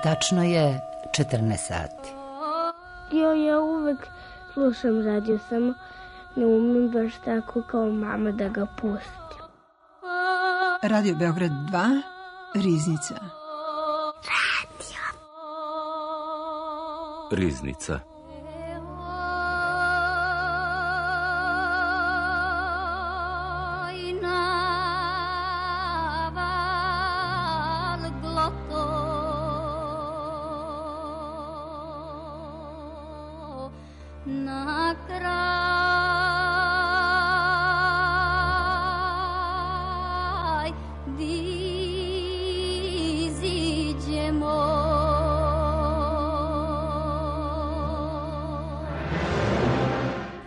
Tačno je 14 sati. Ja uvek slušam radio, samo ne umem baš tako kao mama da ga pustim. Radio Beograd 2, Riznica. Riznica.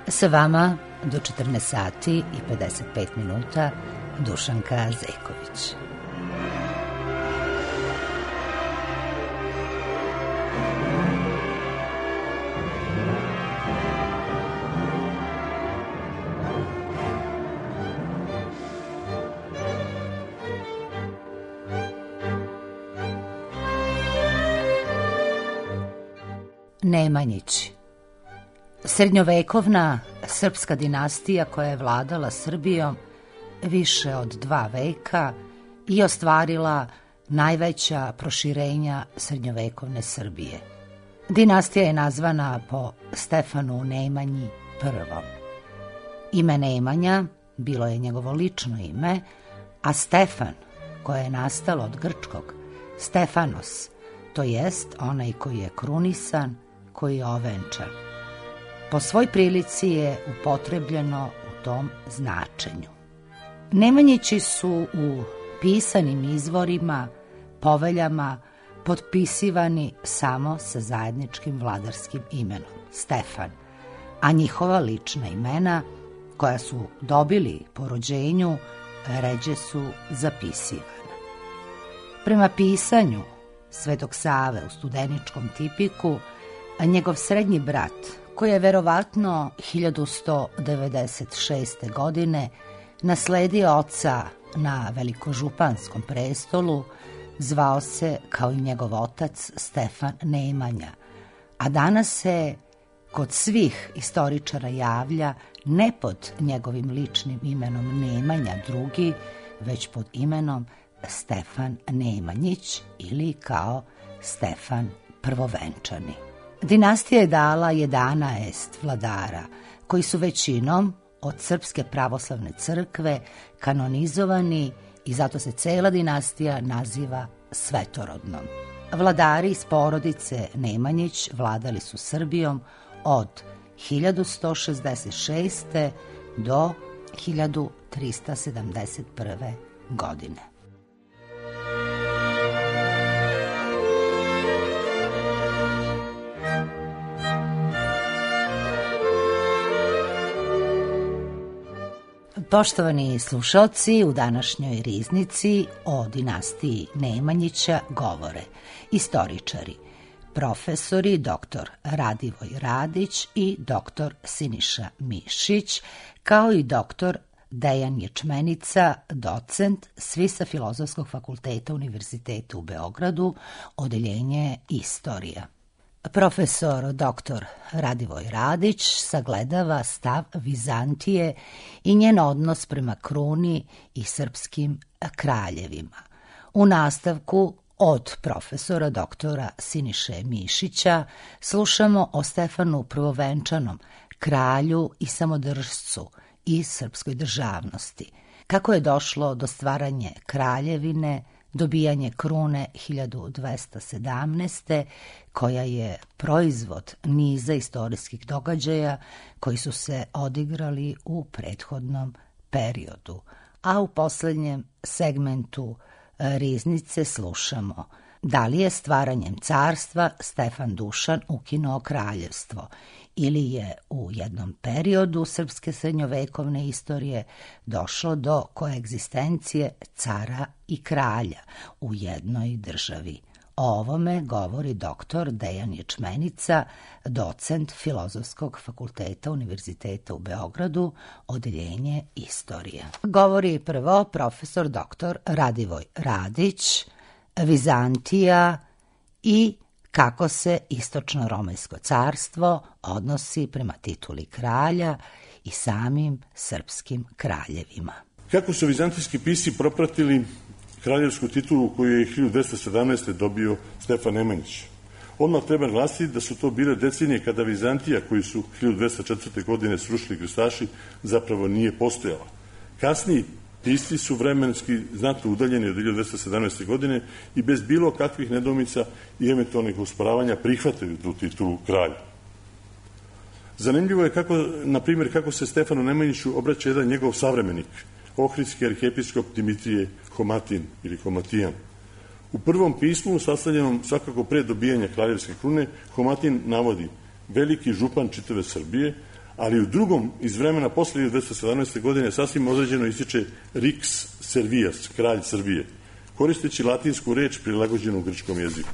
Sa vama do 14 sati i 55 minuta Dušanka Zejković. Nemanjići. Srednjovekovna srpska dinastija koja je vladala Srbijom više od 2 veka i ostvarila najveća proširenja srednjovekovne Srbije. Dinastija je nazvana po Stefanu Nemanji I. Ime Nemanja bilo je njegovo lično ime, a Stefan, koje je nastalo od grčkog Stefanos, to jest onaj koji je krunisan, koji je ovenčan. Po svoj prilici je upotrebljeno u tom značenju. Nemanjići su u pisanim izvorima, poveljama potpisivani samo sa zajedničkim vladarskim imenom, Stefan, a njihova lična imena, koja su dobili po rođenju, ređe su zapisivana. Prema pisanju Svetog Save u Studeničkom tipiku, njegov srednji brat, koji je verovatno 1196. godine nasledio oca na velikožupanskom prestolu, zvao se kao i njegov otac Stefan Nemanja, a danas se kod svih istoričara javlja ne pod njegovim ličnim imenom Nemanja II, već pod imenom Stefan Nemanjić ili kao Stefan Prvovenčani. Dinastija je dala 11 vladara, koji su većinom od Srpske pravoslavne crkve kanonizovani i zato se cela dinastija naziva svetorodnom. Vladari iz porodice Nemanjić vladali su Srbijom od 1166. do 1371. godine. Poštovani slušalci, u današnjoj Riznici o dinastiji Nemanjića govore istoričari, profesori dr. Radivoj Radić i dr. Siniša Mišić, kao i dr. Dejan Ječmenica, docent, svi sa Filozofskog fakulteta Univerziteta u Beogradu, odeljenje Istorija. Profesor dr. Radivoj Radić sagledava stav Vizantije i njen odnos prema kruni i srpskim kraljevima. U nastavku od profesora doktora Siniše Mišića slušamo o Stefanu Prvovenčanom, kralju i samodržcu i srpskoj državnosti. Kako je došlo do stvaranja kraljevine, dobijanje krune 1217. koja je proizvod niza istorijskih događaja koji su se odigrali u prethodnom periodu. A u posljednjem segmentu Riznice slušamo da li je stvaranjem carstva Stefan Dušan ukinuo kraljevstvo ili je u jednom periodu srpske srednjovekovne istorije došlo do koegzistencije cara i kralja u jednoj državi. O ovome govori dr. Dejan Ječmenica, docent Filozofskog fakulteta Univerziteta u Beogradu, odeljenje Istorija. Govori prvo profesor dr. Radivoj Radić, Vizantija i kako se Istočno-Romajsko carstvo odnosi prema tituli kralja i samim srpskim kraljevima. Kako su vizantijski pisci propratili kraljevsku titulu koju je 1217. dobio Stefan Nemanjić? Odmah treba glasiti da su to bile decenije kada Vizantija, koju su 1204. godine srušili krstaši, zapravo nije postojala. Kasniji pisci su vremenski znatno udaljeni od 1217. godine i bez bilo kakvih nedoumica i eventualnih usporavanja prihvatili tu titulu kralja. Zanimljivo je kako se Stefanu Nemanjiću obraća jedan njegov savremenik, ohridski arhijepiskop Dimitrije Homatin ili Homatijan. U prvom pismu, sastavljenom svakako pre dobijanja kraljevske krune, Homatin navodi veliki župan čitave Srbije, ali u drugom, iz vremena posle 1217. godine, sasvim određeno ističe Rix Servias, kralj Srbije, koristeći latinsku reč prilagođenu u grčkom jeziku.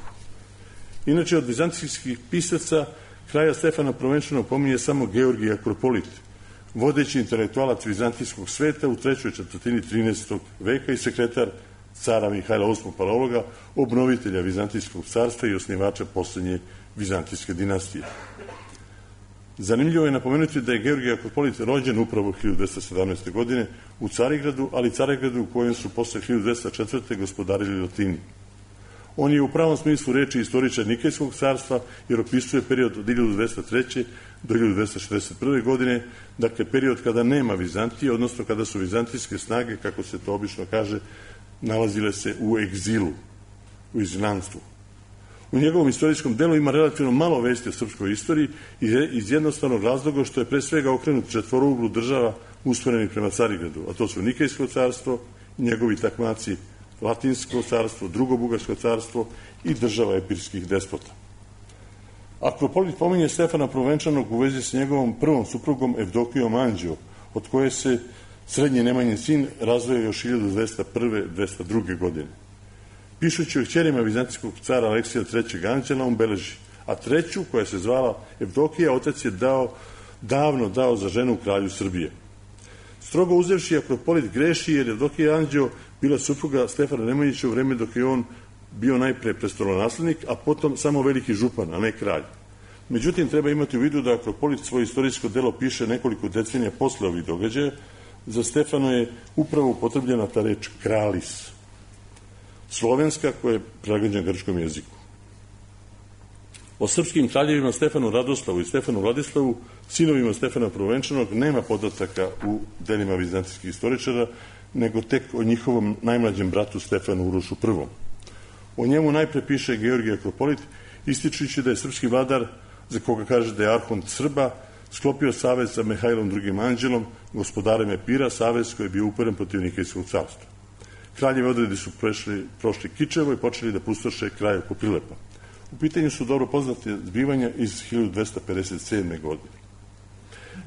Inače, od vizantijskih pisaca kralja Stefana prvenčano pominje samo Georgij Akropolit, vodeći intelektualac vizantijskog sveta u trećoj četvrtini 13. veka i sekretar cara Mihajla VIII Palologa, obnovitelja Vizantijskog carstva i osnivača poslednje vizantijske dinastije. Zanimljivo je napomenuti da je Georgij Akropolit rođen upravo 1217. godine u Carigradu, ali Carigradu u kojem su posle 1204. gospodarili Latini. On je u pravom smislu reči istoričar Nikejskog carstva, jer opisuje period od 1203. do 1261. godine, dakle period kada nema Vizantije, odnosno kada su vizantijske snage, kako se to obično kaže, nalazile se u egzilu, u izgnanstvu. U njegovom istorijskom delu ima relativno malo vesti o srpskoj istoriji iz jednostavnog razloga što je pre svega okrenut četvorouglu država usmerenih prema Carigradu, a to su Nikejsko carstvo, njegovi takmaci Latinsko carstvo, Drugo Bugarsko carstvo i država epirskih despota. Akropolit pominje Stefana Prvenčanog u vezi s njegovom prvom suprugom Evdokijom Anđeo, od koje se srednji Nemanjin sin razvojao još 1201-1202. godine. Pišući o kćerima vizantijskog cara Aleksija III. Anđela, on beleži, a treću, koja se zvala Evdokija, otac je davno dao za ženu kralju Srbije. Strogo uzevši, Akropolit greši jer je Evdokija Anđeo bila supruga Stefana Nemanjića u vreme dok je on bio najpre prestolonaslednik, a potom samo veliki župan, a ne kralj. Međutim, treba imati u vidu da Akropolit svoje istorijsko delo piše nekoliko decenija posle ovih događaja. Za Stefano je upravo upotrebljena ta reč kralis, slovenska, koja je prilagođena grčkom jeziku. O srpskim kraljevima Stefanu Radoslavu i Stefanu Vladislavu, sinovima Stefana Prvenčanog, nema podataka u delima vizantijskih istoričara, nego tek o njihovom najmlađem bratu Stefanu Urošu I. O njemu najpre piše Georgij Akropolit, ističući da je srpski vladar, za koga kaže da je arhont Srba, sklopio savez sa Mihajlom II. Anđelom, gospodarem Epira, savez koji je bio uperen protiv Nikejskog carstva. Kraljeve odredi su prošli Kičevo i počeli da pustoše kraj oko Prilepa. U pitanju su dobro poznate zbivanja iz 1257. godine.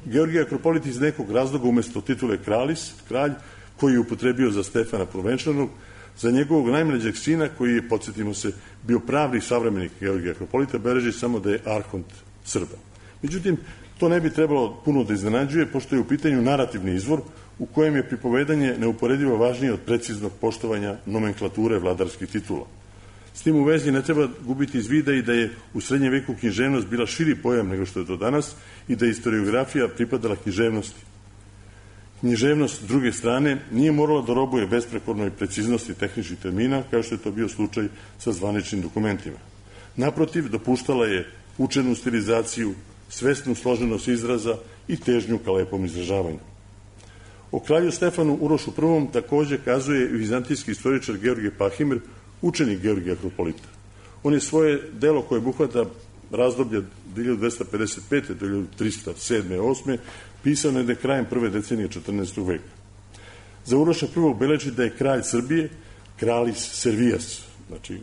Georgij Akropolit iz nekog razloga umesto titule kralis, kralj, koji je upotrebio za Stefana Prvenčanog, za njegovog najmlađeg sina, koji je, podsjetimo se, bio pravni savremenik Georgija Akropolita, beleži samo da je arhont Srba. Međutim, to ne bi trebalo puno da iznenađuje, pošto je u pitanju narativni izvor u kojem je pripovedanje neuporedivo važnije od preciznog poštovanja nomenklature vladarskih titula. S tim u vezi ne treba gubiti iz vida i da je u srednjem veku književnost bila širi pojam nego što je to danas i da je historiografija pripadala književnosti. Književnost, s druge strane, nije morala da robuje besprekornoj preciznosti tehničkih termina, kao što je to bio slučaj sa zvaničnim dokumentima. Naprotiv, dopuštala je učenu stilizaciju, svesnu složenost izraza i težnju ka lepom izražavanju. O kralju Stefanu Urošu I takođe kazuje vizantijski istoričar Georgije Pahimir, učenik Georgija Akropolita. On je svoje delo koje obuhvata razdoblje 1255. do 1307. 8. pisao negde krajem prve decenije 14. veka. Za Uroša I beleži da je kralj Srbije, kralis Servijas, znači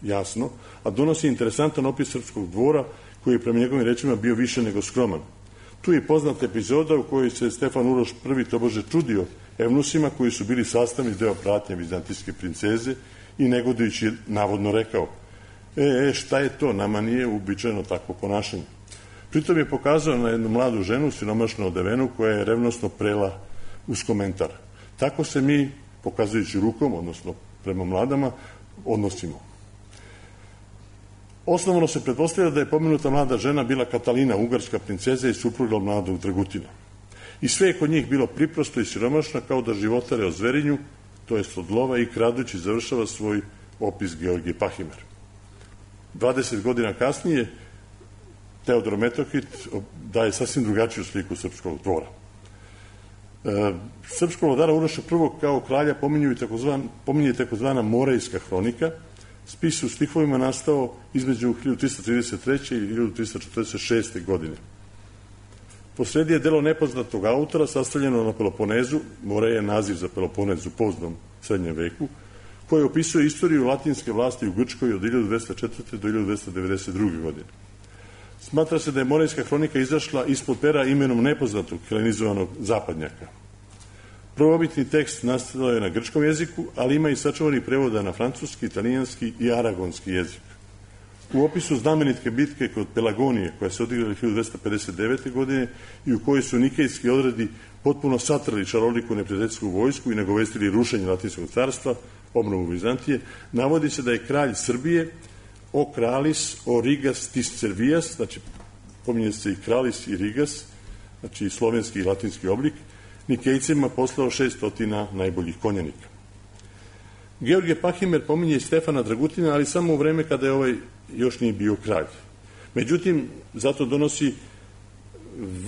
jasno, a donosi interesantan opis srpskog dvora koji je prema njegovim rečima bio više nego skroman. Tu je poznata epizoda u kojoj se Stefan Uroš I tobože čudio evnusima koji su bili sastavni deo pratnje vizantijske princeze i negodujući je navodno rekao: šta je to, nama nije uobičajeno takvo ponašanje. Pritom je pokazao na jednu mladu ženu, siromašno odevenu, koja je revnosno prela uz komentar: tako se mi, pokazujući rukom, odnosno prema mladama, odnosimo. Osnovno se pretpostavlja da je pomenuta mlada žena bila Katalina, ugarska princeza i supruga mladog Dragutina. I sve je kod njih bilo priprosto i siromašno, kao da životare o zverinju, to jest od lova, i kradući završava svoj opis Georgije Pahimer. 20 godina kasnije Teodor Metohit daje sasvim drugačiju sliku srpskog dvora. Srpskog vladara Uroša I kao kralja pominje takozvana Morejska hronika, spis u stihovima nastao između 1333. i 1346. godine. Posredi je delo nepoznatog autora sastavljeno na Peloponezu, Moreja je naziv za Peloponez u poznom srednjem veku, koji opisuje istoriju latinske vlasti u Grčkoj od 1204. do 1292. godine. Smatra se da je Morejska hronika izašla ispod pera imenom nepoznatog helenizovanog zapadnjaka. Prvobitni tekst nastao je na grčkom jeziku, ali ima i sačuvanih prevoda na francuski, italijanski i aragonski jezik. U opisu znamenitke bitke kod Pelagonije, koja se odigrala 1259. godine i u kojoj su nikejski odredi potpuno satrali šaroliku neprijateljsku vojsku i nagovestili rušenje Latinskog carstva, obnovu Vizantije, navodi se da je kralj Srbije o kralis o Rigas tis Servijas, znači pominje se i kralis i Rigas, znači slovenski i latinski oblik, Nikejcima poslao 600 najboljih konjanika. Georgije Pahimer pominje i Stefana Dragutina, ali samo u vreme kada je ovaj još nije bio kralj. Međutim, zato donosi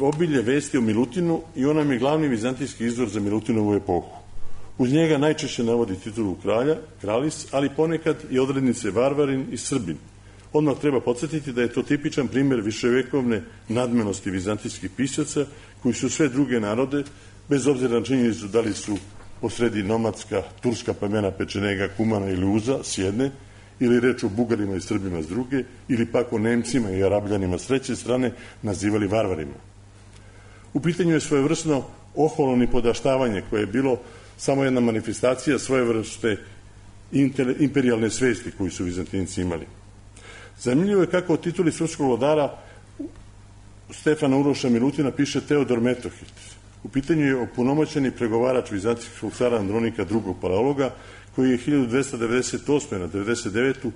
obilje vesti o Milutinu i on nam je glavni vizantijski izvor za Milutinovu epohu. Uz njega najčešće navodi titulu kralja, kralis, ali ponekad i odrednice varvarin i srbin. Odmah treba podsjetiti da je to tipičan primjer viševekovne nadmenosti vizantijskih pisaca, koji su sve druge narode, bez obzira na činjenicu da li su posredi nomadska, turska plemena Pečenega, Kumana ili Uza s jedne, ili reč o Bugarima i Srbima s druge, ili pak o Nemcima i Arabljanima s treće strane, nazivali varvarima. U pitanju je svojevrsno oholno nipodaštavanje, koje je bilo samo jedna manifestacija svojevrste imperijalne svesti koju su Vizantinci imali. Zanimljivo je kako o tituli srpskog vladara Stefana Uroša Milutina piše Teodor Metohit. U pitanju je opunomoćeni pregovarač vizantijskog cara Andronika II. Paleologa, koji je 1298. na 99.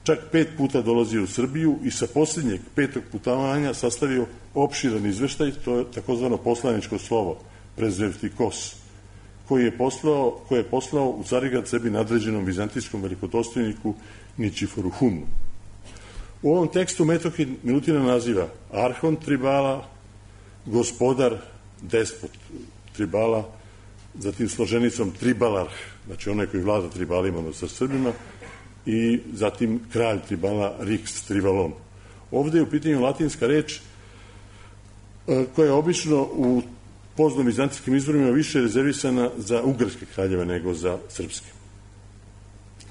čak 5 puta dolazio u Srbiju i sa posljednjeg 5. putovanja sastavio opširan izveštaj, to je takozvano poslaničko slovo, prezevtikos, koje je poslao u Carigrad sebi nadređenom vizantijskom velikodostojniku Ničiforu Humnu. U ovom tekstu Metohit Milutina naziva arhon tribala, gospodar, despot tribala, zatim složenicom tribalarh, znači onaj koji vlada tribalima, odnosno Srbima, i zatim kralj tribala Rix tribalon. Ovde je u pitanju latinska reč koja je obično u poznom vizantijskim izvorima više rezervisana za ugarske kraljeve nego za srpske.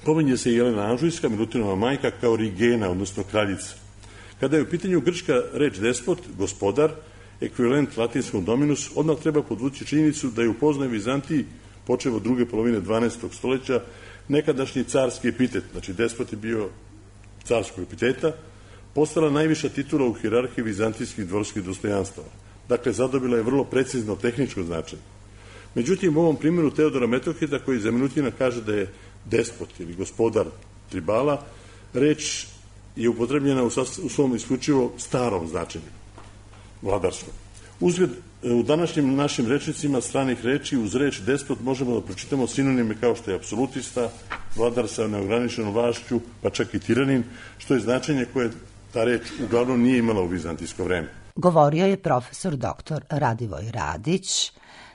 Pominje se i Jelena Anžujska, Milutinova majka, kao Rigena, odnosno kraljica. Kada je u pitanju grčka reč despot, gospodar, ekvivalent latinskom dominus, odmah treba podvući činjenicu da je u poznoj Vizantiji, počev od druge polovine 12. stoljeća, nekadašnji carski epitet, znači despot je bio carskog epiteta, postala najviša titula u hijerarhiji vizantijskih dvorskih dostojanstava. Dakle, zadobila je vrlo precizno tehničko značenje. Međutim, u ovom primjeru Teodora Metohita, koji za Milutina kaže da je despot ili gospodar tribala, reč je upotrebljena u svom isključivo starom značenju, vladarskom. Uzgled, u današnjim našim rečnicima stranih reči uz reč despot možemo da pročitamo sinonime kao što je apsolutista, vladar sa neograničenom vlašću, pa čak i tiranin, što je značenje koje ta reč uglavnom nije imala u vizantijsko vreme. Govorio je profesor dr. Radivoj Radić,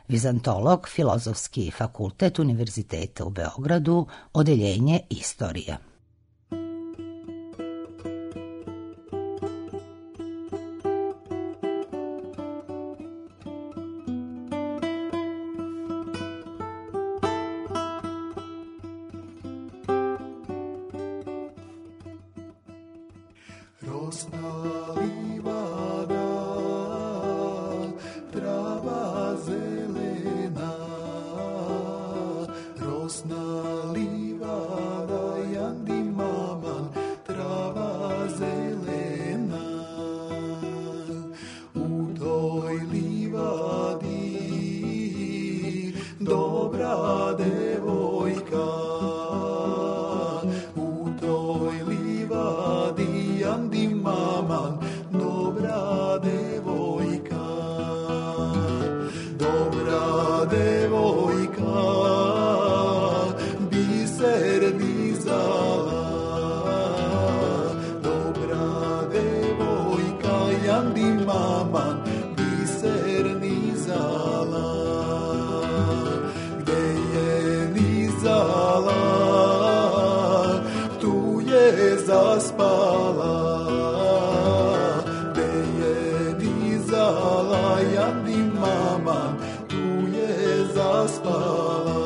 vizantolog, Filozofski fakultet Univerziteta u Beogradu, odeljenje istorija. zaspala, te je dizala Jandi mama, tu je zaspala.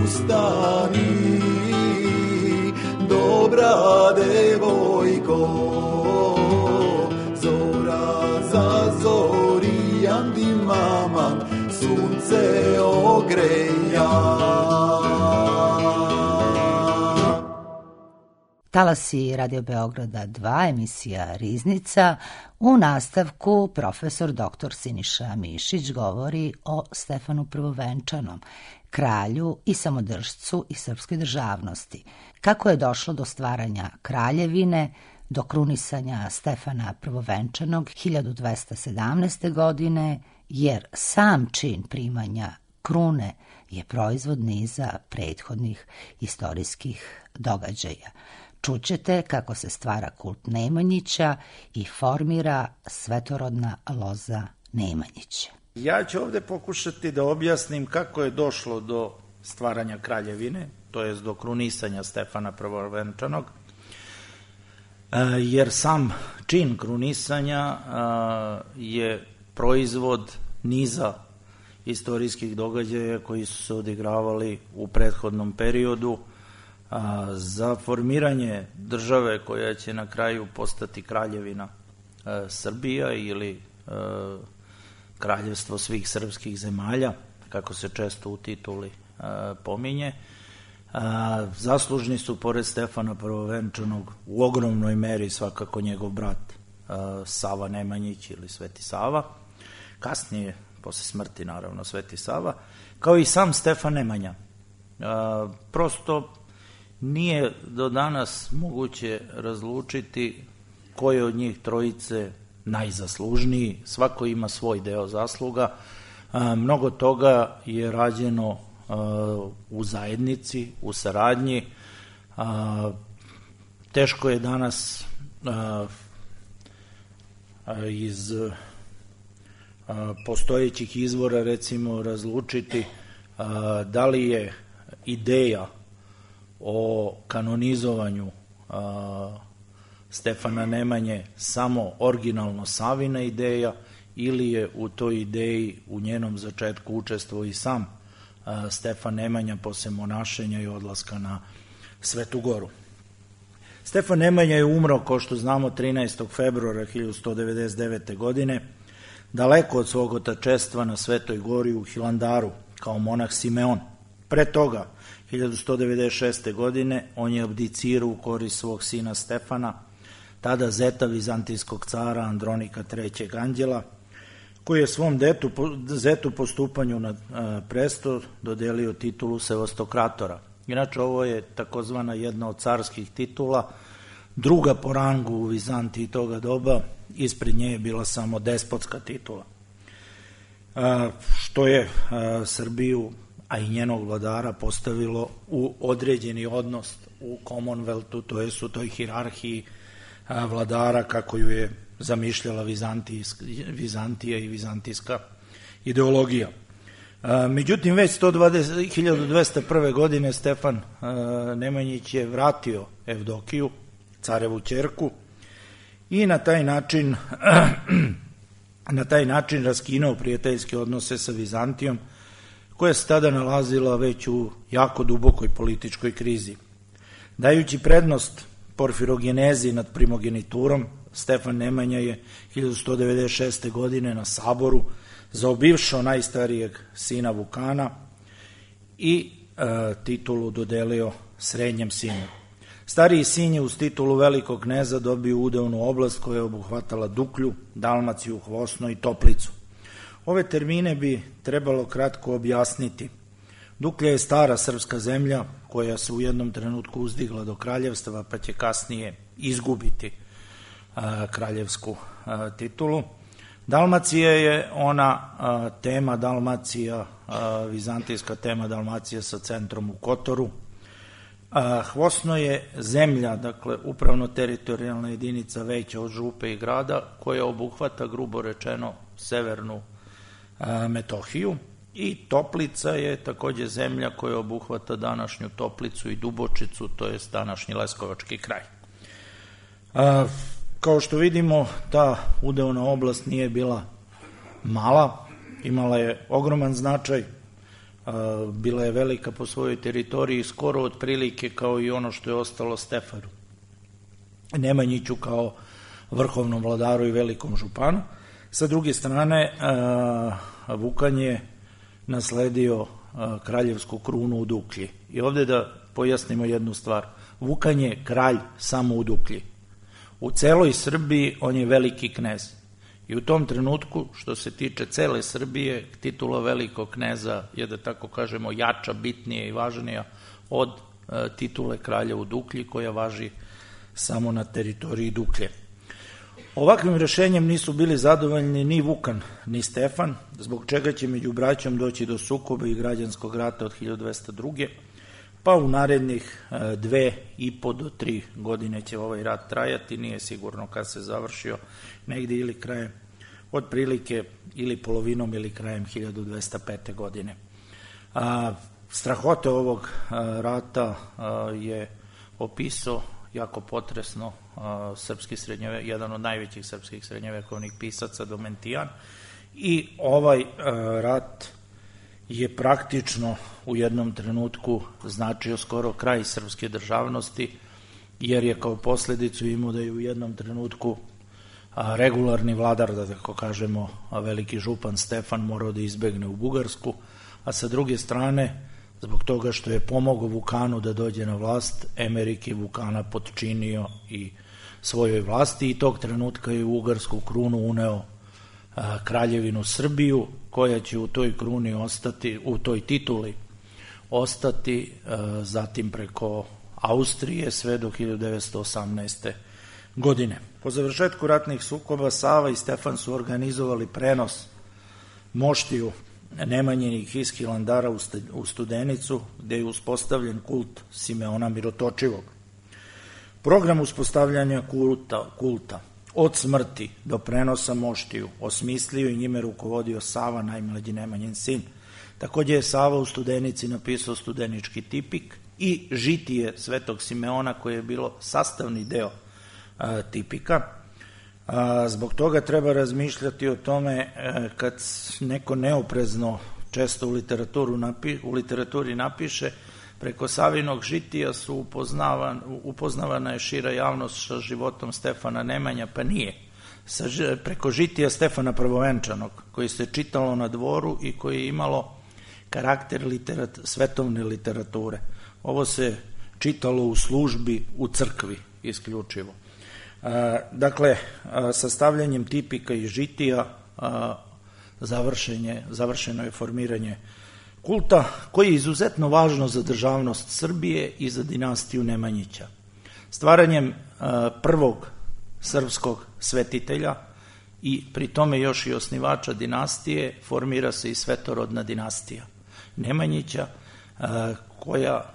Ustani, dobra devojko, zora zazori, Jandi mama, sunce ogreja. Talasi Radio Beograda 2, emisija Riznica. U nastavku profesor dr. Siniša Mišić govori o Stefanu Prvovenčanom, kralju i samodržcu i srpskoj državnosti. Kako je došlo do stvaranja kraljevine, do krunisanja Stefana Prvovenčanog 1217. godine, jer sam čin primanja krune je proizvod niza prethodnih istorijskih događaja. Čućete kako se stvara kult Nemanjića i formira svetorodna loza Nemanjića. Ja ću ovde pokušati da objasnim kako je došlo do stvaranja kraljevine, to jest do krunisanja Stefana Prvovenčanog, jer sam čin krunisanja je proizvod niza istorijskih događaja koji su se odigravali u prethodnom periodu. Za formiranje države koja će na kraju postati kraljevina Srbija ili kraljevstvo svih srpskih zemalja, kako se često u tituli pominje, zaslužni su pored Stefana Prvovenčanog u ogromnoj meri svakako njegov brat Sava Nemanjić ili Sveti Sava, kasnije posle smrti naravno Sveti Sava, kao i sam Stefan Nemanja. Prosto nije do danas moguće razlučiti ko je od njih trojice najzaslužniji, svako ima svoj deo zasluga. Mnogo toga je rađeno u zajednici, u saradnji. Teško je danas iz postojećih izvora recimo razlučiti da li je ideja o kanonizovanju Stefana Nemanje samo originalno Savina ideja ili je u toj ideji u njenom začetku učestvovao i sam Stefan Nemanja posle monašenja i odlaska na Svetu Goru. Stefan Nemanja je umro, kao što znamo, 13. februara 1199. godine, daleko od svog otačestva na Svetoj Gori u Hilandaru, kao monah Simeon. Pre toga, 1196. godine, on je abdicirao u korist svog sina Stefana, tada zeta vizantijskog cara Andronika III. Anđela, koji je svom zetu po stupanju na presto dodelio titulu Sevastokratora. Inače, ovo je takozvana jedna od carskih titula, druga po rangu u Vizantiji toga doba, ispred nje je bila samo despotska titula, što je Srbiju, a i njenog vladara, postavilo u određeni odnos u Commonwealthu, to jest u toj hijerarhiji vladara kako ju je zamišljala Vizantija i vizantijska ideologija. Međutim, već 1201. godine Stefan Nemanjić je vratio Evdokiju, carevu ćerku, i na taj način raskinuo prijateljske odnose sa Vizantijom, koja se tada nalazila već u jako dubokoj političkoj krizi. Dajući prednost porfirogenezi nad primogeniturom, Stefan Nemanja je 1196. godine na saboru zaobišao najstarijeg sina Vukana i titulu dodelio srednjem sinu. Stariji sin je uz titulu velikog kneza dobio udeonu oblast koja je obuhvatala Duklju, Dalmaciju, Hvosno i Toplicu. Ove termine bi trebalo kratko objasniti. Duklja je stara srpska zemlja koja se u jednom trenutku uzdigla do kraljevstva, pa će kasnije izgubiti kraljevsku titulu. Dalmacija je ona tema Dalmacija, vizantijska tema Dalmacija sa centrom u Kotoru. Hvosno je zemlja, dakle upravno-teritorijalna jedinica veća od župe i grada, koja obuhvata, grubo rečeno, severnu Metohiju, i Toplica je takođe zemlja koja obuhvata današnju Toplicu i Dubočicu, to je današnji Leskovački kraj. Kao što vidimo, ta udeona oblast nije bila mala, imala je ogroman značaj, bila je velika po svojoj teritoriji, skoro otprilike kao i ono što je ostalo Stefanu Nemanjiću kao vrhovnom vladaru i velikom županu. Sa druge strane, Vukan je nasledio kraljevsku krunu u Duklji. I ovde da pojasnimo jednu stvar. Vukan je kralj samo u Duklji. U celoj Srbiji on je veliki knez. I u tom trenutku, što se tiče cele Srbije, titula velikog kneza je, da tako kažemo, jača, bitnija i važnija od titule kralja u Duklji, koja važi samo na teritoriji Duklje. Ovakvim rešenjem nisu bili zadovoljni ni Vukan, ni Stefan, zbog čega će među braćom doći do sukoba i građanskog rata od 1202. Pa u narednih 2,5 do 3 godine će ovaj rat trajati, nije sigurno kad se završio, negde ili krajem, otprilike ili polovinom ili krajem 1205. godine. Strahote ovog rata je opisao jako potresno jedan od najvećih srpskih srednjovekovnih pisaca, Domentijan, i ovaj rat je praktično u jednom trenutku značio skoro kraj srpske državnosti, jer je kao posledicu imao da je u jednom trenutku regularni vladar, da tako kažemo, veliki župan Stefan morao da izbegne u Bugarsku, a sa druge strane, zbog toga što je pomogao Vukanu da dođe na vlast, Emerik je Vukana potčinio i svojoj vlasti i tog trenutka je u ugarsku krunu uneo kraljevinu Srbiju, koja će u toj kruni ostati, u toj tituli ostati zatim preko Austrije sve do 1918. godine. Po završetku ratnih sukoba Sava i Stefan su organizovali prenos moštiju Nemanjinih iz Hilandara u Studenicu, gde je uspostavljen kult Simeona Mirotočivog. Program uspostavljanja kulta od smrti do prenosa moštiju osmislio i njime rukovodio Sava, najmlađi Nemanjin sin. Takođe je Sava u Studenici napisao studenički tipik i žitije Svetog Simeona, koje je bilo sastavni deo tipika. Zbog toga treba razmišljati o tome kad neko neoprezno često u literaturi napiše preko Savinog žitija su upoznavana je šira javnost sa životom Stefana Nemanja, pa nije. Preko žitija Stefana Prvovenčanog, koji se čitalo na dvoru i koji je imalo karakter svetovne literature. Ovo se čitalo u službi u crkvi isključivo. Dakle, sastavljanjem tipika i žitija završeno je formiranje kulta, koji je izuzetno važno za državnost Srbije i za dinastiju Nemanjića. Stvaranjem prvog srpskog svetitelja i pri tome još i osnivača dinastije formira se i svetorodna dinastija Nemanjića, koja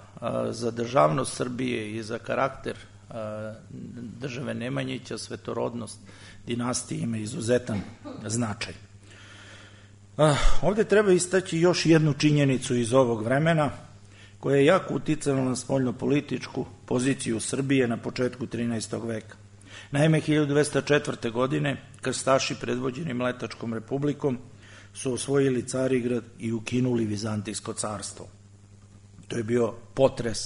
za državnost Srbije i za karakter države Nemanjića, svetorodnost dinastije ima izuzetan značaj. Ovde treba istaći još jednu činjenicu iz ovog vremena, koja je jako uticala na spoljnopolitičku poziciju Srbije na početku 13. veka. Naime, 1204. godine krstaši predvođeni Mletačkom republikom su osvojili Carigrad i ukinuli Vizantijsko carstvo. To je bio potres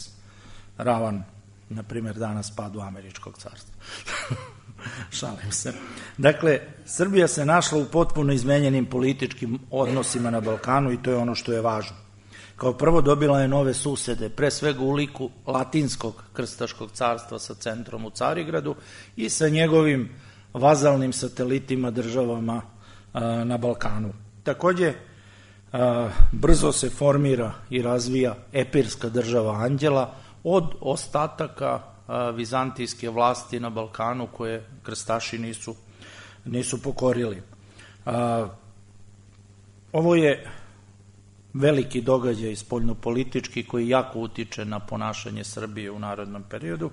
ravan, na primjer, danas padu Američkog carstva. Šalim se. Dakle, Srbija se našla u potpuno izmenjenim političkim odnosima na Balkanu i to je ono što je važno. Kao prvo, dobila je nove susede, pre svega u liku Latinskog krstaškog carstva sa centrom u Carigradu i sa njegovim vazalnim satelitima državama na Balkanu. Takođe, brzo se formira i razvija epirska država Anđela od ostataka vizantijske vlasti na Balkanu koje krstaši nisu pokorili. Ovo je veliki događaj spoljnopolitički koji jako utiče na ponašanje Srbije u narednom periodu.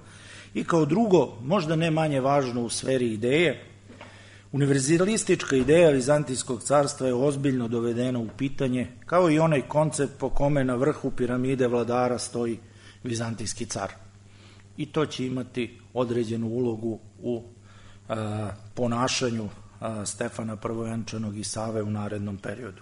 I kao drugo, možda ne manje važno u sferi ideje, univerzalistička ideja Vizantijskog carstva je ozbiljno dovedena u pitanje, kao i onaj koncept po kome na vrhu piramide vladara stoji vizantijski car. I to će imati određenu ulogu u ponašanju Stefana Prvovenčanog i Save u narednom periodu.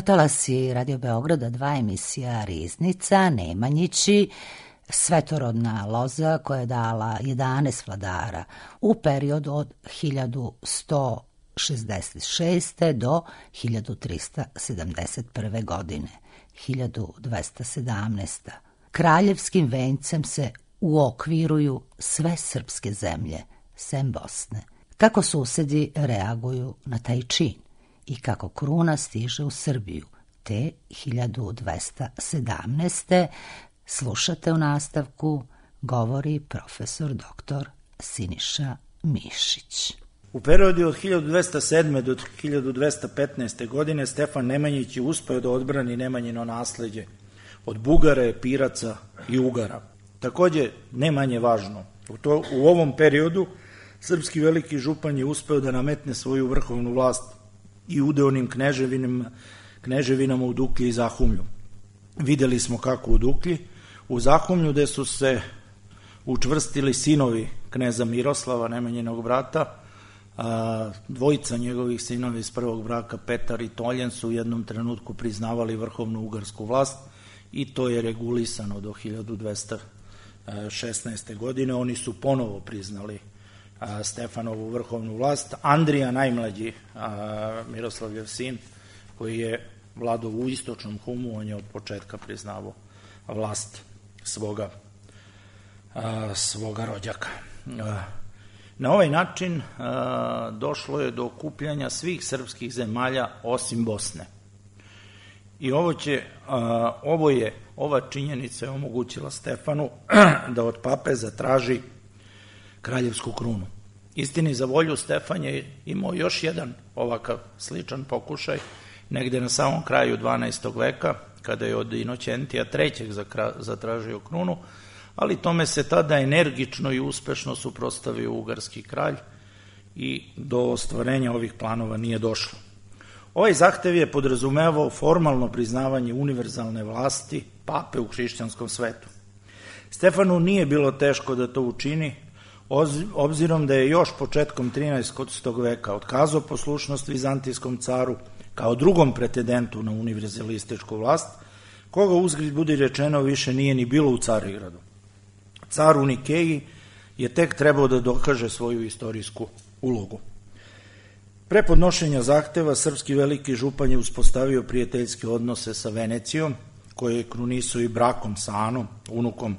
Talasi Radio Beograda 2 emisija Riznica, Nemanjići, svetorodna loza koja je dala 11 vladara u periodu od 1166. do 1371. godine, 1217. Kraljevskim vencem se uokviruju sve srpske zemlje, sem Bosne. Kako susedi reaguju na taj čin i kako kruna stiže u Srbiju, te 1217. slušate u nastavku, govori profesor dr. Siniša Mišić. U periodu od 1207. do 1215. godine Stefan Nemanjić je uspeo da odbrani Nemanjino nasleđe od Bugara, Epiraca i Ugara. Takođe, ne manje važno, u ovom periodu srpski veliki župan je uspeo da nametne svoju vrhovnu vlast i udeonim kneževinama u Duklji i Zahumlju. Videli smo kako u Duklji, u Zahumlju gde su se učvrstili sinovi kneza Miroslava, Nemanjinog brata, dvojica njegovih sinova iz prvog braka, Petar i Toljen, su u jednom trenutku priznavali vrhovnu ugarsku vlast i to je regulisano do 1216. godine. Oni su ponovo priznali Stefanovu vrhovnu vlast. Andrija najmlađi, Miroslavljev sin, koji je vladao u istočnom Humu, on je od početka priznavao vlast svoga rođaka. Na ovaj način došlo je do okupljanja svih srpskih zemalja osim Bosne. I ova činjenica je omogućila Stefanu da od pape zatraži kraljevsku krunu. Istini za volju, Stefan je imao još jedan ovakav sličan pokušaj negde na samom kraju 12. veka, kada je od Inokentija III. Zatražio krunu, ali tome se tada energično i uspešno suprotstavio ugarski kralj i do ostvarenja ovih planova nije došlo. Ovaj zahtev je podrazumevao formalno priznavanje univerzalne vlasti pape u hrišćanskom svetu. Stefanu nije bilo teško da to učini, obzirom da je još početkom 13. veka otkazao poslušnost vizantijskom caru kao drugom pretendentu na univerzalističku vlast, koga uzgred budi rečeno više nije ni bilo u Carigradu. Car u Nikeji je tek trebao da dokaže svoju istorijsku ulogu. Pre podnošenja zahteva, srpski veliki župan je uspostavio prijateljske odnose sa Venecijom, koje je krunisao i brakom sa Anom, unukom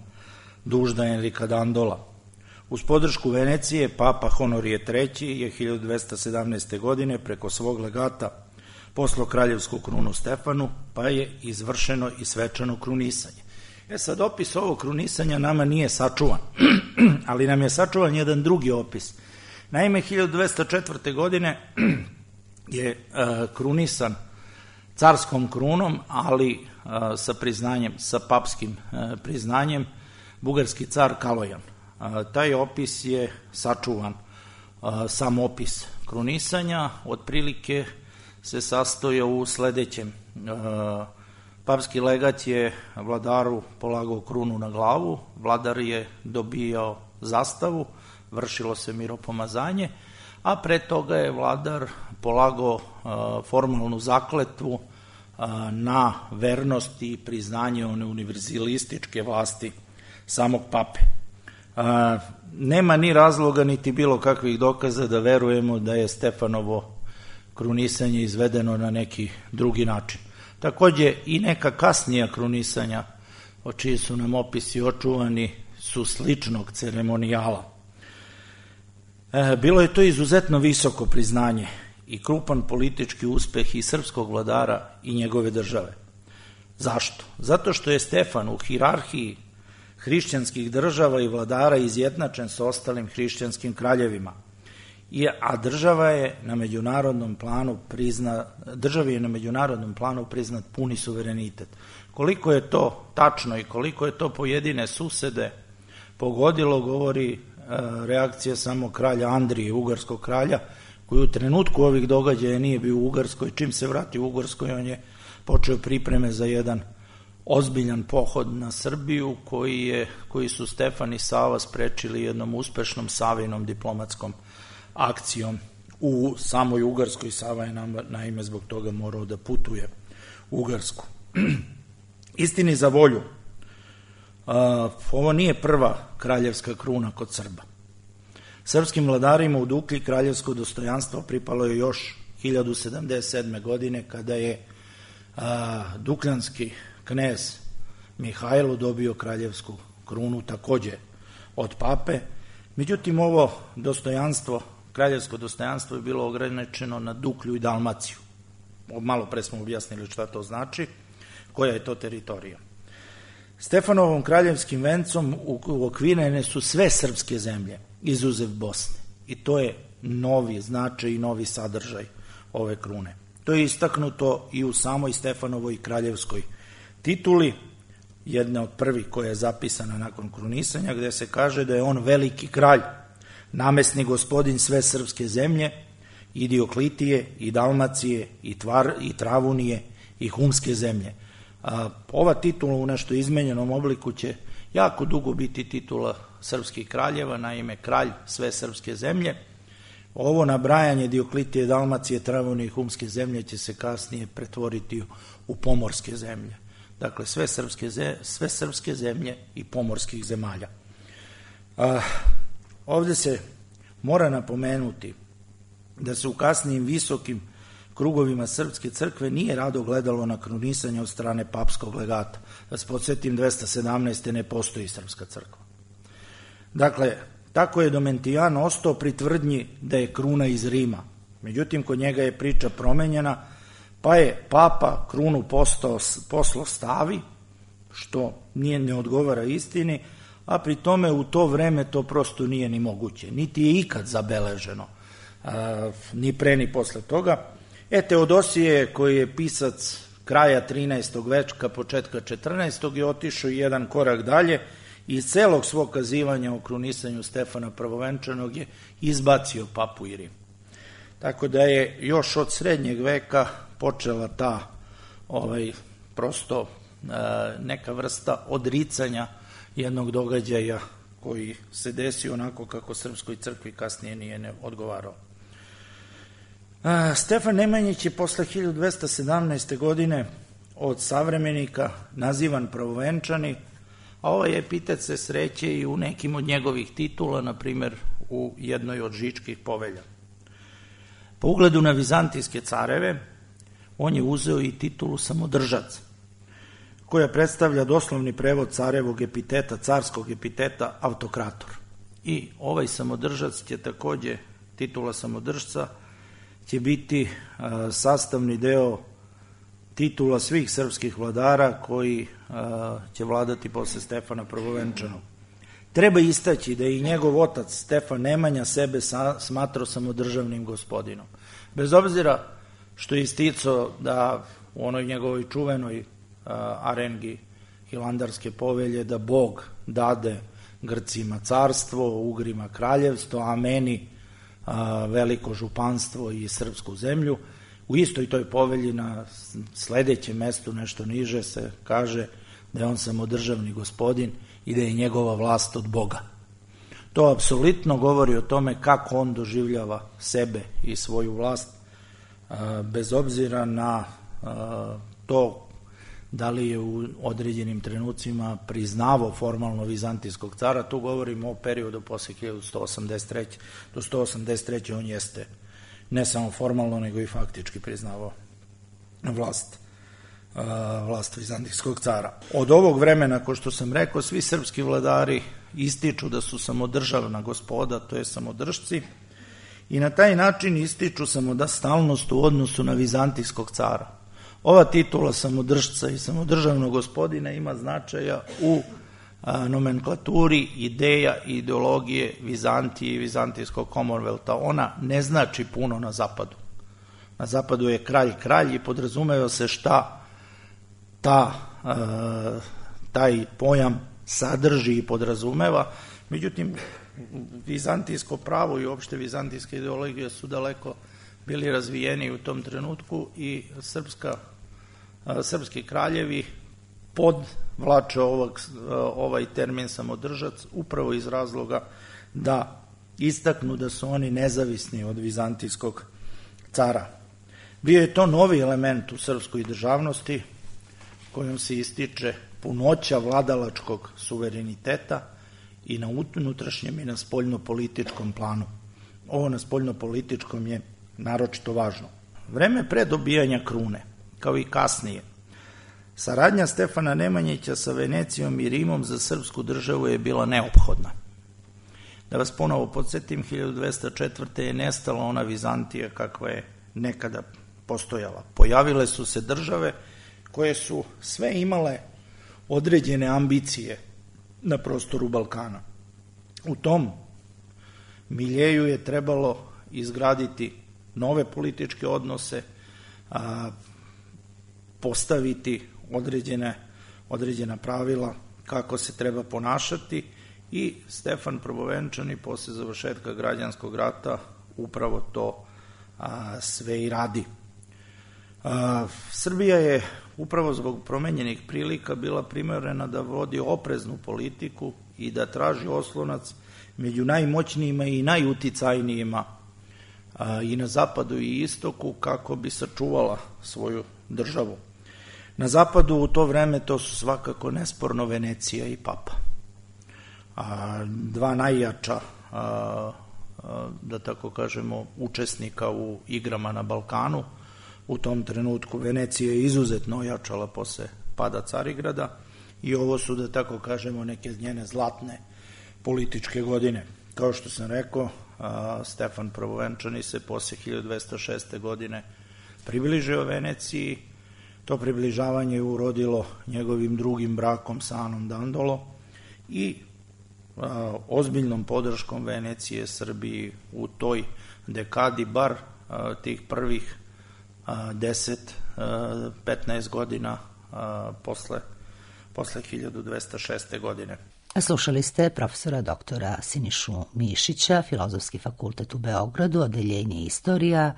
Dužda Enrika Dandola. Uz podršku Venecije, papa Honorije III. Je 1217. godine preko svog legata poslao kraljevsku krunu Stefanu, pa je izvršeno i svečano krunisanje. Sad, opis ovog krunisanja nama nije sačuvan, ali nam je sačuvan jedan drugi opis. Naime, 1204. godine je krunisan carskom krunom, ali sa priznanjem, sa papskim priznanjem, bugarski car Kalojan. Taj opis je sačuvan. Sam opis krunisanja otprilike se sastoja u sledećem. Papski legat je vladaru polagao krunu na glavu, vladar je dobijao zastavu, vršilo se miropomazanje, a pre toga je vladar polagao formalnu zakletvu na vernost i priznanje one univerzalističke vlasti samog pape. Nema ni razloga niti bilo kakvih dokaza da verujemo da je Stefanovo krunisanje izvedeno na neki drugi način. Takođe i neka kasnija krunisanja, o čiji su nam opisi očuvani, su sličnog ceremonijala. Bilo je to izuzetno visoko priznanje i krupan politički uspeh i srpskog vladara i njegove države. Zašto? Zato što je Stefan u hijerarhiji hrišćanskih država i vladara izjednačen sa ostalim hrišćanskim kraljevima, a državi je na međunarodnom planu priznat puni suverenitet. Koliko je to tačno i koliko je to pojedine susede pogodilo, govori reakcija samo kralja Andrije, ugarskog kralja, koji u trenutku ovih događaja nije bio u Ugarskoj. Čim se vrati u Ugarskoj, on je počeo pripreme za jedan ozbiljan pohod na Srbiju, koji su Stefan i Sava sprečili jednom uspešnom Savinom diplomatskom akcijom u samoj Ugarskoj. Sava je naime zbog toga morao da putuje u Ugarsku. Istini za volju, ovo nije prva kraljevska kruna kod Srba. Srpskim vladarima u Duklji kraljevsko dostojanstvo pripalo je još 1077. godine, kada je dukljanski knez Mihajlo dobio kraljevsku krunu takođe od pape. Međutim, ovo dostojanstvo, kraljevsko dostojanstvo je bilo ograničeno na Duklju i Dalmaciju. Malo pre smo objasnili šta to znači, koja je to teritorija. Stefanovom kraljevskim vencom uokvirene su sve srpske zemlje, izuzev Bosne. I to je novi značaj i novi sadržaj ove krune. To je istaknuto i u samoj Stefanovoj kraljevskoj tituli, jedna od prvih koja je zapisana nakon krunisanja, gde se kaže da je on veliki kralj, namesni gospodin sve srpske zemlje, i Dioklitije, i Dalmacije, i Travunije, i Humske zemlje. Ova titula u nešto izmenjenom obliku će jako dugo biti titula srpskih kraljeva, naime kralj sve srpske zemlje. Ovo nabrajanje Dioklitije, Dalmacije, Travunije i Humske zemlje će se kasnije pretvoriti u pomorske zemlje. Dakle, sve srpske zemlje i pomorskih zemalja. Ovde se mora napomenuti da se u kasnijim visokim krugovima srpske crkve nije rado gledalo na krunisanje od strane papskog legata. Da se podsjetim, 217. ne postoji srpska crkva. Dakle, tako je Domitijan ostao pri tvrdnji da je kruna iz Rima. Međutim, kod njega je priča promenjena, pa je papa krunu poslao Stavi, što ne odgovara istini, a pri tome u to vreme to prosto nije ni moguće, niti je ikad zabeleženo, ni pre ni posle toga. Teodosije, koji je pisac kraja 13. veka, početka 14. je otišao jedan korak dalje i iz celog svog kazivanja o krunisanju Stefana Prvovenčanog je izbacio papu i Rim. Tako da je još od srednjeg veka počela ta prosto neka vrsta odricanja jednog događaja koji se desio onako kako Srpskoj crkvi kasnije nije odgovarao. Stefan Nemanjić je posle 1217. godine od savremenika nazivan pravovenčani, a ovaj epitet se sreće i u nekim od njegovih titula, na primer u jednoj od Žičkih povelja. Po ugledu na vizantijske careve, on je uzeo i titulu samodržac, koja predstavlja doslovni prevod carevog epiteta, carskog epiteta autokrator. I ovaj samodržac će takođe, titula samodržca, će biti sastavni deo titula svih srpskih vladara koji će vladati posle Stefana Prvovenčanog. Treba istaći da je i njegov otac Stefan Nemanja sebe smatrao samodržavnim gospodinom. Bez obzira što je isticao da u onoj njegovoj čuvenoj arengi Hilandarske povelje da Bog dade Grcima carstvo, Ugrima kraljevstvo, a meni veliko županstvo i srpsku zemlju. U istoj toj povelji na sledećem mestu, nešto niže, se kaže da je on samodržavni gospodin i da je njegova vlast od Boga. To apsolutno govori o tome kako on doživljava sebe i svoju vlast, bez obzira na to da li je u određenim trenucima priznavao formalno vizantijskog cara. Tu govorimo o periodu posle 1183. Do 183. on jeste ne samo formalno, nego i faktički priznavao vlast vizantijskog cara. Od ovog vremena, ko što sam rekao, svi srpski vladari ističu da su samodržavna gospoda, to je samodržci, i na taj način ističu samostalnost u odnosu na vizantijskog cara. Ova titula samodržca i samodržavnog gospodina ima značaja u nomenklaturi ideja i ideologije Vizantije i vizantijskog Commonwealtha. Ona ne znači puno na zapadu. Na zapadu je kralj i podrazumeva se šta taj pojam sadrži i podrazumeva. Međutim, vizantijsko pravo i uopšte vizantijske ideologije su daleko bili razvijeni u tom trenutku i srpski kraljevi podvlače ovaj termin samodržac upravo iz razloga da istaknu da su oni nezavisni od vizantijskog cara. Bio je to novi element u srpskoj državnosti kojom se ističe punoća vladalačkog suvereniteta i na unutrašnjem i na spoljnopolitičkom planu. Ovo na spoljnopolitičkom je naročito važno. Vreme pre dobijanja krune, kao i kasnije, saradnja Stefana Nemanjića sa Venecijom i Rimom za srpsku državu je bila neophodna. Da vas ponovo podsjetim, 1204. je nestala ona Vizantija kakva je nekada postojala. Pojavile su se države koje su sve imale određene ambicije na prostoru Balkana. U tom miljeju je trebalo izgraditi nove političke odnose, postaviti određena pravila kako se treba ponašati i Stefan Prvovenčani posle završetka građanskog rata upravo to sve i radi. Srbija je upravo zbog promenjenih prilika bila primorana da vodi opreznu politiku i da traži oslonac među najmoćnijima i najuticajnijima i na zapadu i istoku kako bi sačuvala svoju državu. Na zapadu u to vreme to su svakako nesporno Venecija i Papa. Dva najjača, da tako kažemo, učesnika u igrama na Balkanu. U tom trenutku Venecija je izuzetno ojačala posle pada Carigrada i ovo su, da tako kažemo, neke njene zlatne političke godine. Kao što sam rekao, Stefan Prvovenčani se posle 1206. godine približio Veneciji. To približavanje je urodilo njegovim drugim brakom sa Anom Dandolo i ozbiljnom podrškom Venecije Srbiji u toj dekadi, bar tih prvih 10-15 godina posle 1206. godine. Slušali ste profesora doktora Sinišu Mišića, Filozofski fakultet u Beogradu, odeljenje istorija,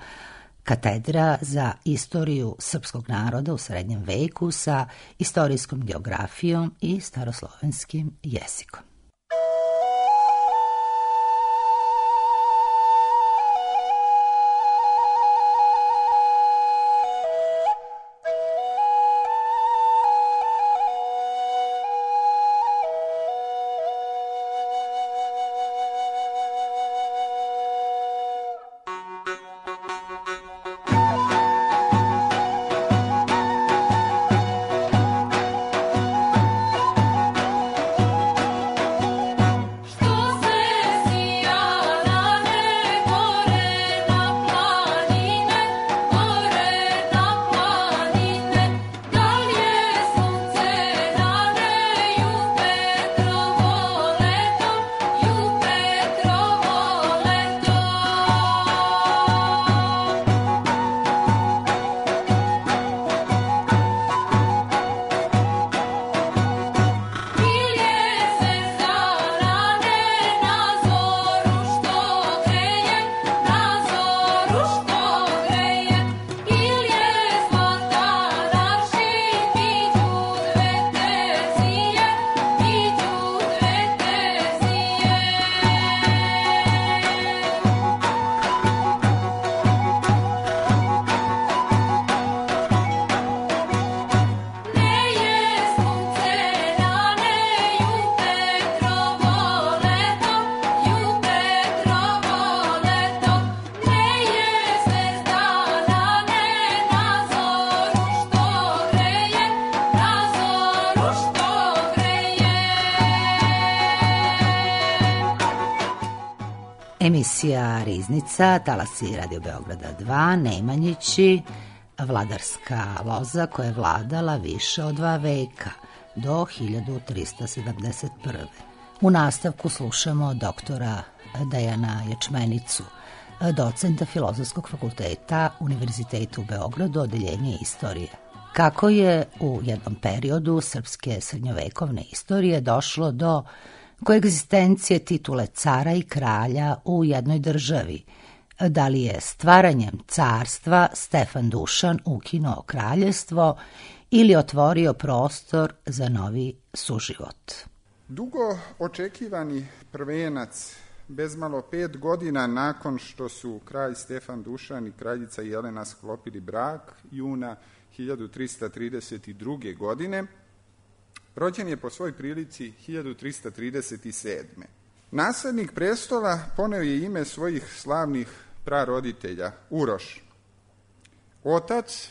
katedra za istoriju srpskog naroda u srednjem veku sa istorijskom geografijom i staroslovenskim jezikom. Emisija Riznica, talasi Radio Beograda 2, Nemanjići, vladarska loza koja je vladala više od 2 veka, do 1371. U nastavku slušamo doktora Dejana Ječmenicu, docenta Filozofskog fakulteta Univerziteta u Beogradu, odeljenje istorije. Kako je u jednom periodu srpske srednjovekovne istorije došlo do koegzistencije titule cara i kralja u jednoj državi. Da li je stvaranjem carstva Stefan Dušan ukinuo kraljevstvo ili otvorio prostor za novi suživot? Dugo očekivani prvenac, bezmalo 5 godina nakon što su kralj Stefan Dušan i kraljica Jelena sklopili brak, juna 1332. godine, rođen je po svoj prilici 1337. Naslednik prestola poneo je ime svojih slavnih praroditelja, Uroš. Otac,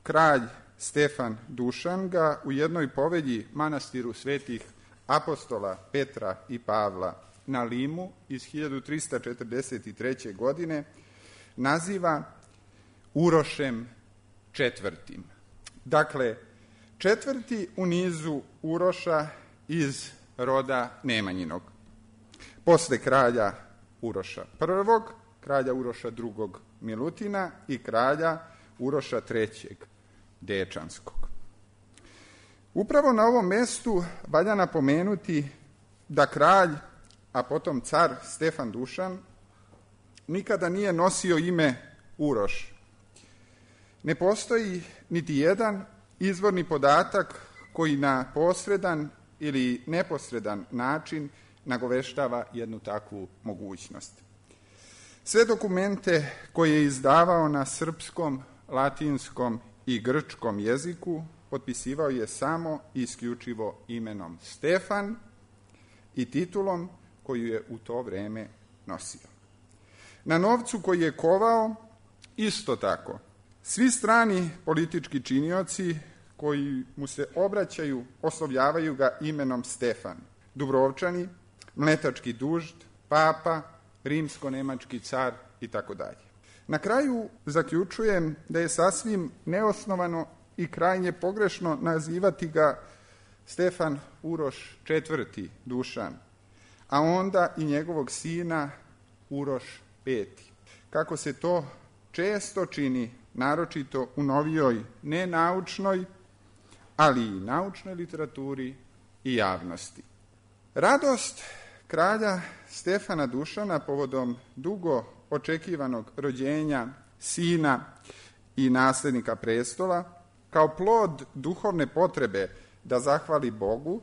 kralj Stefan Dušan, ga u jednoj povelji manastiru svetih apostola Petra i Pavla na Limu iz 1343. godine naziva Urošem četvrtim. Dakle, četvrti u nizu Uroša iz roda Nemanjinog. Posle kralja Uroša I, kralja Uroša II Milutina i kralja Uroša III Dečanskog. Upravo na ovom mestu valja napomenuti da kralj, a potom car Stefan Dušan, nikada nije nosio ime Uroš. Ne postoji niti jedan izvorni podatak koji na posredan ili neposredan način nagoveštava jednu takvu mogućnost. Sve dokumente koje je izdavao na srpskom, latinskom i grčkom jeziku potpisivao je samo i isključivo imenom Stefan i titulom koju je u to vreme nosio. Na novcu koji je kovao, isto tako, svi strani politički činioci koji mu se obraćaju, oslovljavaju ga imenom Stefan. Dubrovčani, mletački dužd, papa, rimsko-nemački car i tako dalje. Na kraju zaključujem da je sasvim neosnovano i krajnje pogrešno nazivati ga Stefan Uroš IV. Dušan, a onda i njegovog sina Uroš V. Kako se to često čini, naročito u novijoj nenaučnoj, ali i naučnoj literaturi i javnosti. Radost kralja Stefana Dušana povodom dugo očekivanog rođenja sina i nasljednika prestola, kao plod duhovne potrebe da zahvali Bogu,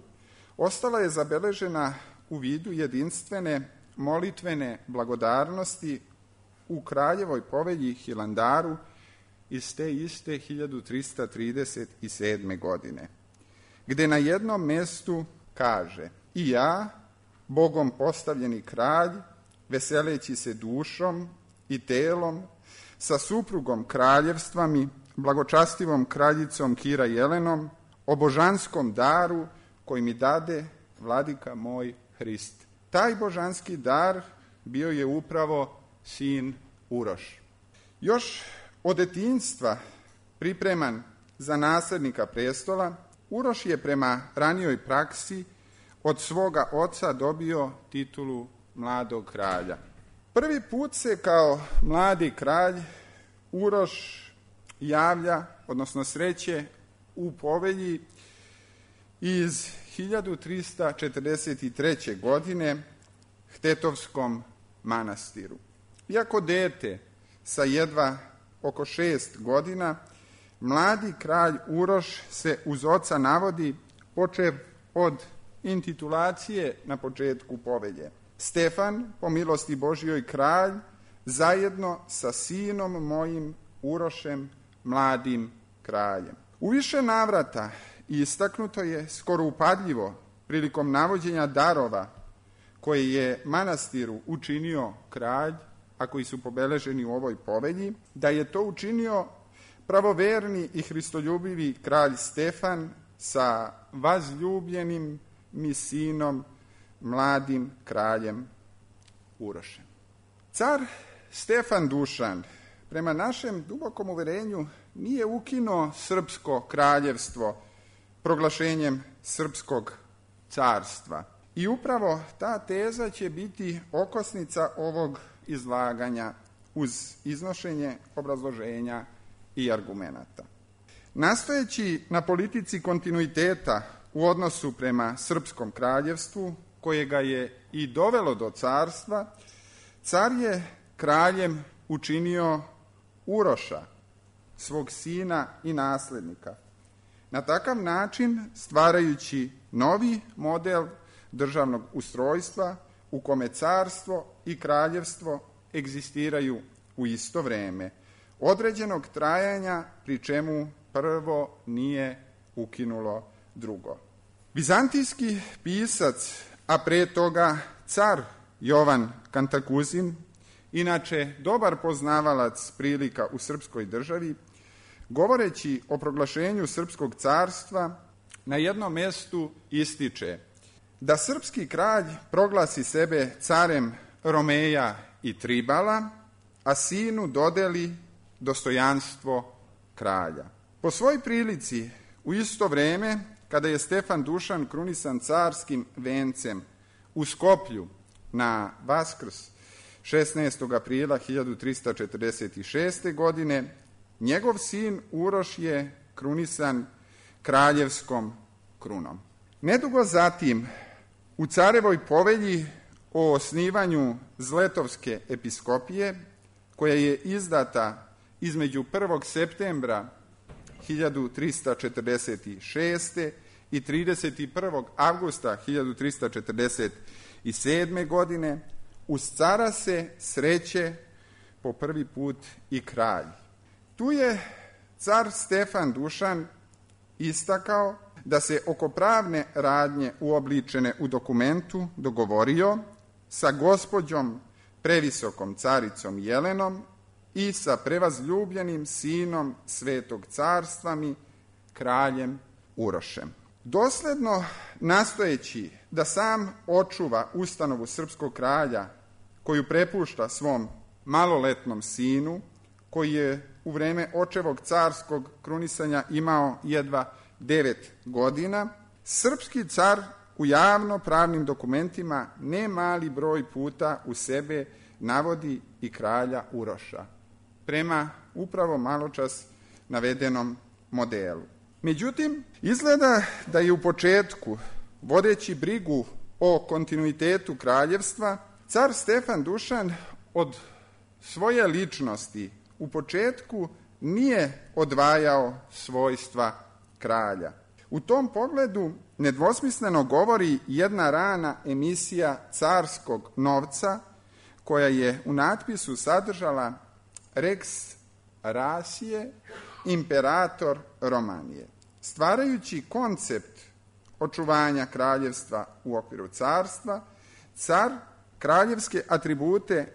ostala je zabeležena u vidu jedinstvene molitvene blagodarnosti u kraljevoj povelji Hilandaru iz te iste 1337. godine, gde na jednom mjestu kaže: i ja, Bogom postavljeni kralj, veseleći se dušom i telom, sa suprugom kraljevstva mi, blagočastivom kraljicom Kira Jelenom, o božanskom daru koji mi dade vladika moj Hrist. Taj božanski dar bio je upravo sin Uroš. Još od detinjstva pripreman za nasljednika prestola, Uroš je prema ranijoj praksi od svoga oca dobio titulu mladog kralja. Prvi put se kao mladi kralj Uroš javlja, odnosno sreće u povelji iz 1343. godine Htetovskom manastiru. Iako dete sa jedva oko 6 godina, mladi kralj Uroš se uz oca navodi, počev od intitulacije na početku povelje: Stefan, po milosti Božjoj kralj, zajedno sa sinom mojim Urošem, mladim kraljem. U više navrata istaknuto je skoro upadljivo prilikom navođenja darova koje je manastiru učinio kralj, a koji su pobeleženi u ovoj povelji, da je to učinio pravoverni i hristoljubivi kralj Stefan sa vazljubljenim mi sinom, mladim kraljem Urošem. Car Stefan Dušan, prema našem dubokom uverenju, nije ukinuo srpsko kraljevstvo proglašenjem srpskog carstva. I upravo ta teza će biti okosnica ovog izlaganja uz iznošenje obrazloženja i argumenata. Nastojeći na politici kontinuiteta u odnosu prema srpskom kraljevstvu, koje ga je i dovelo do carstva, car je kraljem učinio Uroša, svog sina i nasljednika. Na takav način stvarajući novi model državnog ustrojstva u kome carstvo i kraljevstvo egzistiraju u isto vreme, određenog trajanja, pri čemu prvo nije ukinulo drugo. Vizantijski pisac, a pre toga car Jovan Kantakuzin, inače dobar poznavalac prilika u srpskoj državi, govoreći o proglašenju srpskog carstva, na jednom mjestu ističe da srpski kralj proglasi sebe carem Romeja i Tribala, a sinu dodeli dostojanstvo kralja. Po svoj prilici, u isto vrijeme, kada je Stefan Dušan krunisan carskim vencem u Skoplju na Vaskrs 16. aprila 1346. godine, njegov sin Uroš je krunisan kraljevskom krunom. Nedugo zatim, u carevoj povelji o osnivanju Zletovske episkopije, koja je izdata između 1. septembra 1346. i 31. avgusta 1347. godine, uz cara se sreće po prvi put i kralj. Tu je car Stefan Dušan istakao da se oko pravne radnje uobličene u dokumentu dogovorio sa gospođom previsokom caricom Jelenom i sa prevazljubljenim sinom Svetog carstva mi, kraljem Urošem. Dosledno nastojeći da sam očuva ustanovu srpskog kralja koju prepušta svom maloletnom sinu, koji je u vreme očevog carskog krunisanja imao jedva 9 godina, srpski car u javno-pravnim dokumentima ne mali broj puta u sebe navodi i kralja Uroša, prema upravo maločas navedenom modelu. Međutim, izgleda da je u početku, vodeći brigu o kontinuitetu kraljevstva, car Stefan Dušan od svoje ličnosti u početku nije odvajao svojstva kralja. U tom pogledu nedvosmisleno govori jedna rana emisija Carskog novca, koja je u natpisu sadržala Rex Rasije, imperator Romanije. Stvarajući koncept očuvanja kraljevstva u okviru carstva, car kraljevske atribute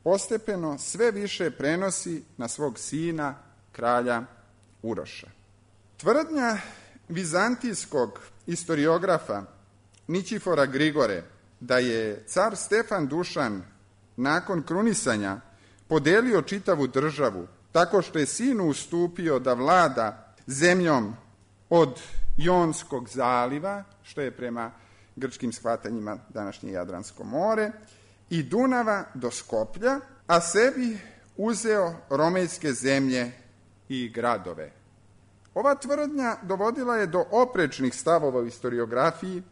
postepeno sve više prenosi na svog sina, kralja Uroša. Tvrdnja vizantijskog istoriografa Ničifora Grigore da je car Stefan Dušan nakon krunisanja podelio čitavu državu tako što je sinu ustupio da vlada zemljom od Jonskog zaliva, što je prema grčkim shvatanjima današnje Jadransko more, i Dunava do Skoplja, a sebi uzeo romejske zemlje i gradove. Ova tvrdnja dovodila je do oprečnih stavova u historiografiji,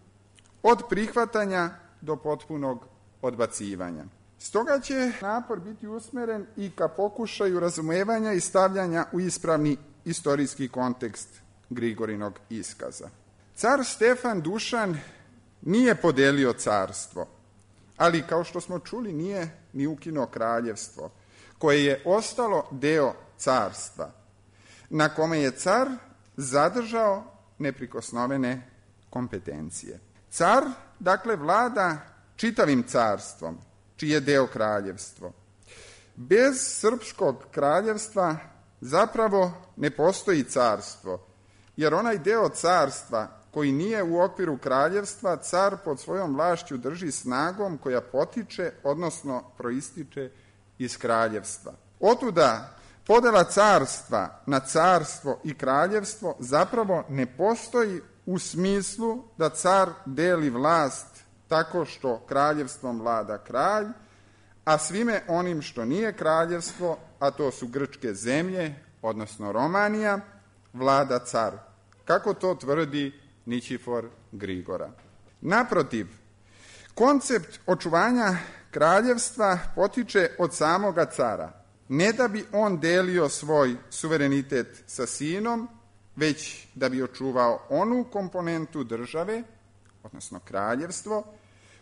od prihvatanja do potpunog odbacivanja. Stoga će napor biti usmeren i ka pokušaju razumevanja i stavljanja u ispravni istorijski kontekst Grigorinog iskaza. Car Stefan Dušan nije podelio carstvo, ali kao što smo čuli nije ni ukinuo kraljevstvo, koje je ostalo deo carstva, na kome je car zadržao neprikosnovene kompetencije. Car, dakle, vlada čitavim carstvom, čiji je deo kraljevstvo. Bez srpskog kraljevstva zapravo ne postoji carstvo, jer onaj deo carstva koji nije u okviru kraljevstva, car pod svojom vlašću drži snagom koja potiče, odnosno proističe iz kraljevstva. Otuda podela carstva na carstvo i kraljevstvo zapravo ne postoji u smislu da car deli vlast tako što kraljevstvom vlada kralj, a svime onim što nije kraljevstvo, a to su grčke zemlje, odnosno Romanija, vlada car, kako to tvrdi Ničifor Grigora. Naprotiv, koncept očuvanja kraljevstva potiče od samoga cara, ne da bi on delio svoj suverenitet sa sinom, već da bi očuvao onu komponentu države, odnosno kraljevstvo,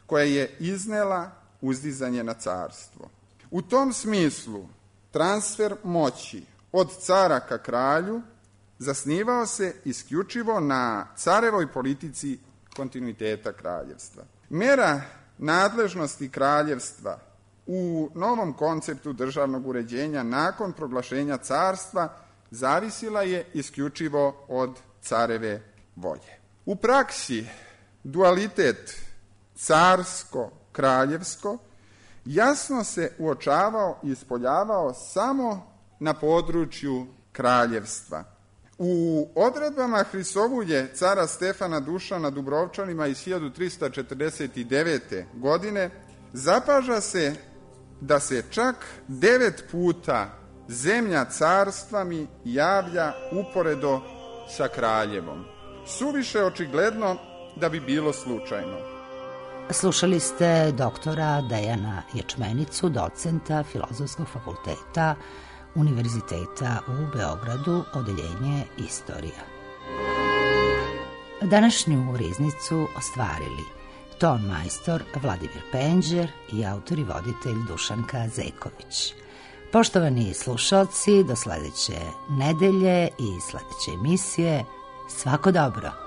koja je iznela uzdizanje na carstvo. U tom smislu, transfer moći od cara ka kralju zasnivao se isključivo na carevoj politici kontinuiteta kraljevstva. Mera nadležnosti kraljevstva u novom konceptu državnog uređenja nakon proglašenja carstva zavisila je isključivo od careve volje. U praksi dualitet carsko-kraljevsko jasno se uočavao i ispoljavao samo na području kraljevstva. U odredbama Hrisovulje cara Stefana Dušana Dubrovčanima iz 1349. godine zapaža se da se čak 9 puta zemlja carstva mi javlja uporedo sa kraljevom. Suviše očigledno da bi bilo slučajno. Slušali ste doktora Dejana Ječmenicu, docenta Filozofskog fakulteta Univerziteta u Beogradu, odeljenje Istorija. Današnju riznicu ostvarili ton majstor Vladimir Penđer i autor i voditelj Dušanka Zeković. Poštovani slušalci, do sledeće nedelje i sledeće emisije, svako dobro!